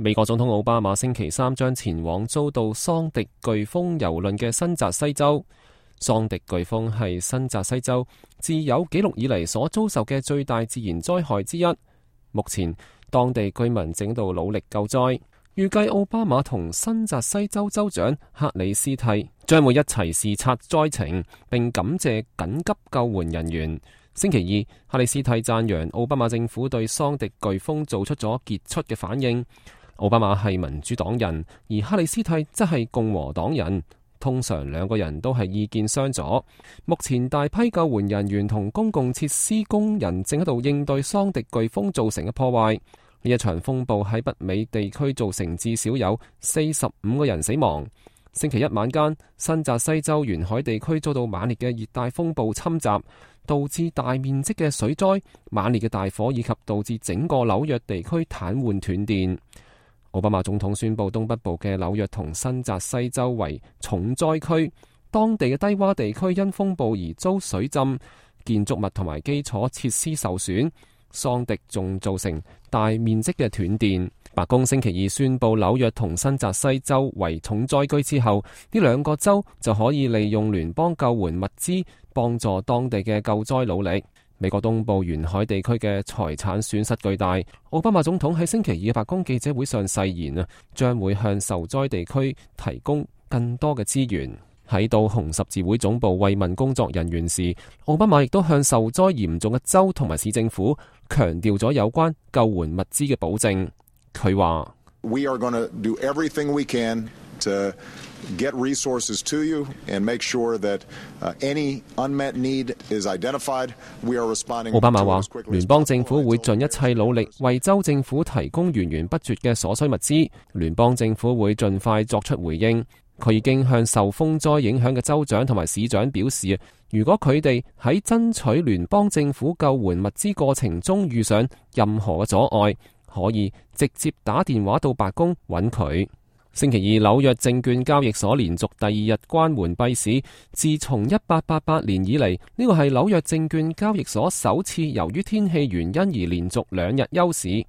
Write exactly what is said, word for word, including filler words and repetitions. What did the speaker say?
美國總統奧巴馬星期三將前往遭到桑迪颶風蹂躪嘅新澤西州。桑迪颶風係新澤西州自有紀錄以嚟所遭受嘅最大自然災害之一。目前當地居民正喺度努力救災。預計奧巴馬同新澤西州州長克里斯蒂將會一齊視察災情，並感謝緊急救援人員。星期二，克里斯蒂讚揚奧巴馬政府對桑迪颶風做出咗傑出嘅反應。奧巴馬係民主黨人，而克里斯蒂則係共和黨人。通常兩個人都係意見相左。目前大批救援人員同公共設施工人正喺度應對桑迪颶風造成嘅破壞。呢一場風暴喺北美地區造成至少有四十五個人死亡。星期一晚間，新澤西州沿海地區遭到猛烈嘅熱帶風暴侵襲，導致大面積嘅水災、猛烈嘅大火以及導致整個紐約地區癱瘓斷電。奧巴馬總統宣布東北部嘅紐約同新澤西州為重災區，當地嘅低洼地區因風暴而遭水浸，建築物同埋基礎設施受損，桑迪仲造成大面積嘅斷電。白宮星期二宣布紐約同新澤西州為重災區之後，呢兩個州就可以利用聯邦救援物資幫助當地嘅救災努力。美國東部沿海地區嘅財產損失巨大。奧巴馬總統喺星期二嘅白宮記者會上誓言啊，將會向受災地區提供更多嘅資源。喺到紅十字會總部慰問工作人員時，奧巴馬亦都向受災嚴重嘅州同埋市政府強調咗有關救援物資嘅保證。佢話：We are going to do everything we can to get resources to you and make sure that any unmet need is identified. We are responding. 奧巴馬話，聯邦政府會盡一切努力為州政府提供源源不絕嘅所需物資。聯邦政府會盡快作出回應。佢已經向受風災影響嘅州長同埋市長表示，如果佢哋喺爭取聯邦政府救援物資過程中遇上任何嘅阻礙，可以直接打電話到白宮揾佢。星期二，紐約證券交易所連續第二日關門閉市。自從一八八八年以嚟，呢個係紐約證券交易所首次由於天氣原因而連續兩日休市。